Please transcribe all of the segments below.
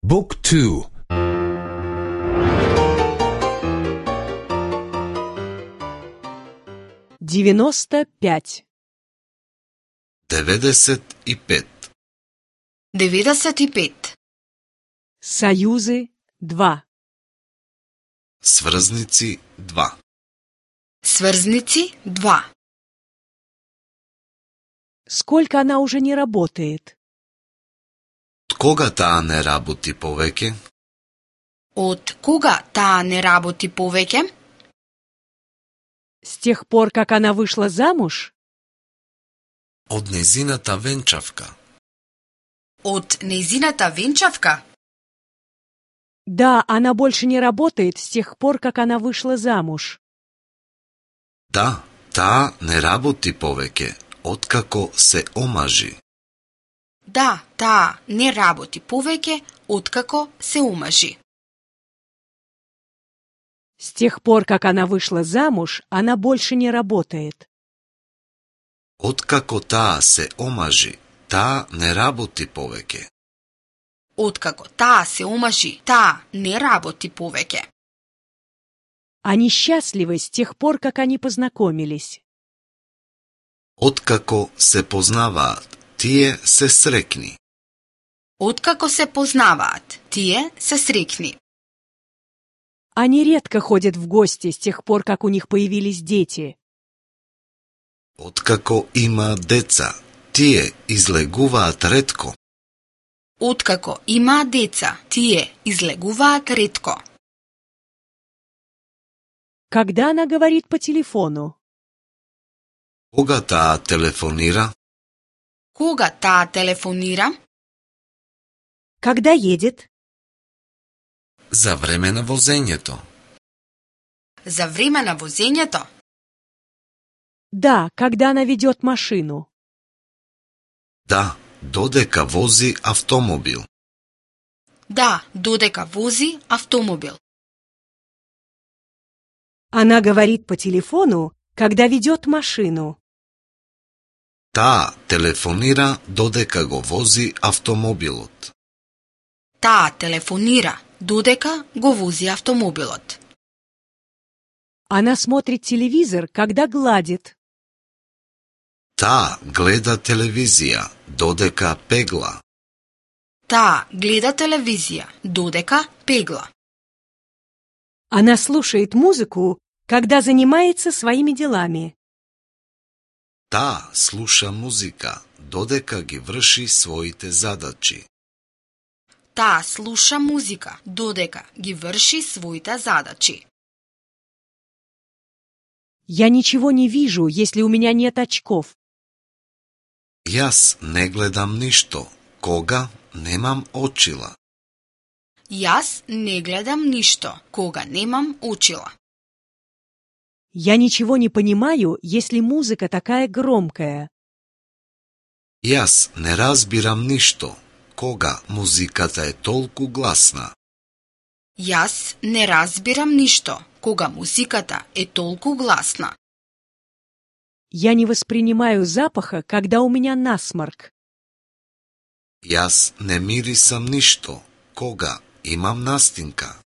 Book 2. 95. 95. 95. Союзы 2. Сврзници 2. Сврзници 2. Сколько она уже не работает? Од кога таа не работи повеќе? Од кога таа не работи повеќе? С тех пор, как она вышла замуж? Од незината венчавка. Од нејзината венчавка? Да, она больше не работает с тех пор, как она вышла замуж. Да, таа не работи повеќе, откако се омажи. Да, таа не работи повеќе откако се омажи. С тех пор, как она вышла замуж, она больше не работает. Откако таа се омажи, таа не работи повеќе. Откако таа се омажи, таа не работи повеќе. Они счастливы с тех пор, как они познакомились. Откако се познаваат, тие се срекни. Откако се познаваат, тие се срекни. Они редко ходят в гости с тех пор, как у них появились дети. Откако има деца, тие излегуваат ретко. Откако има деца, тие излегуваат ретко. Когда она говорит по телефону? Кога таа телефонира? Кога таа телефонира? Когда едет? За време на возењето. За време на возењето? Да, когда она ведет машину. Да, додека вози автомобил. Да, додека вози автомобил. Она говорит по телефону, когда ведет машину. Таа телефонира додека го вози автомобилот. Таа телефонира додека го вози автомобилот. Она смотрит телевизор, когда гладит. Таа гледа телевизија додека пегла. Таа гледа телевизија додека пегла. Она слушает музыку, когда занимается своими делами. Таа слуша музика додека ги врши своите задачи. Таа слуша музика додека ги врши своите задачи. Я ничего не вижу, если у меня нет очков. Јас не гледам ништо кога немам очила. Јас не гледам ништо кога немам очила. Я ничего не понимаю, если музыка такая громкая. Јас не разбирам ништо кога музиката е толку гласна. Јас не разбирам ништо кога музиката е толку гласна. Я не воспринимаю запаха, когда у меня насморк. Јас не мирисам ништо кога имам настинка.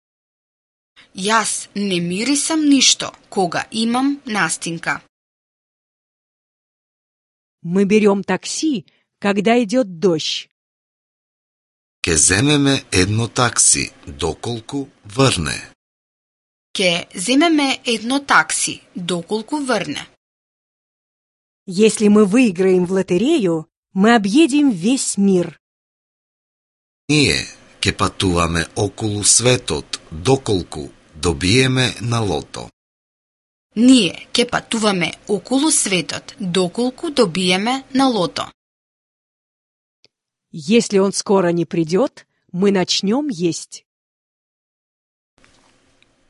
Јас не мирисам ништо кога имам настинка. Мы берем такси, когда идет дождь. Ке земеме едно такси доколку врне. Ке земеме едно такси доколку врне. Если мы выиграем в лотерею, мы объедем весь мир. Ние ке патуваме околу светот доколку добиеме на лото. Ние ке патуваме околу светот доколку добиеме на лото. Если он скоро не придет, мы начнем есть.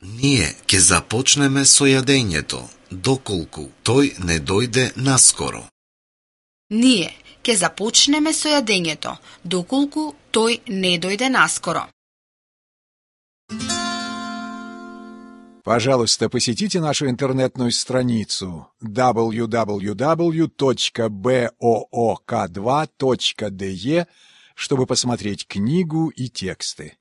Ние ке започнеме со јадењето доколку тој не дојде наскоро. Ние ке започнеме со јадењето доколку тој не дојде наскоро. Пожалуйста, посетите нашу интернетную страницу www.book2.de чтобы посмотреть книгу и тексты.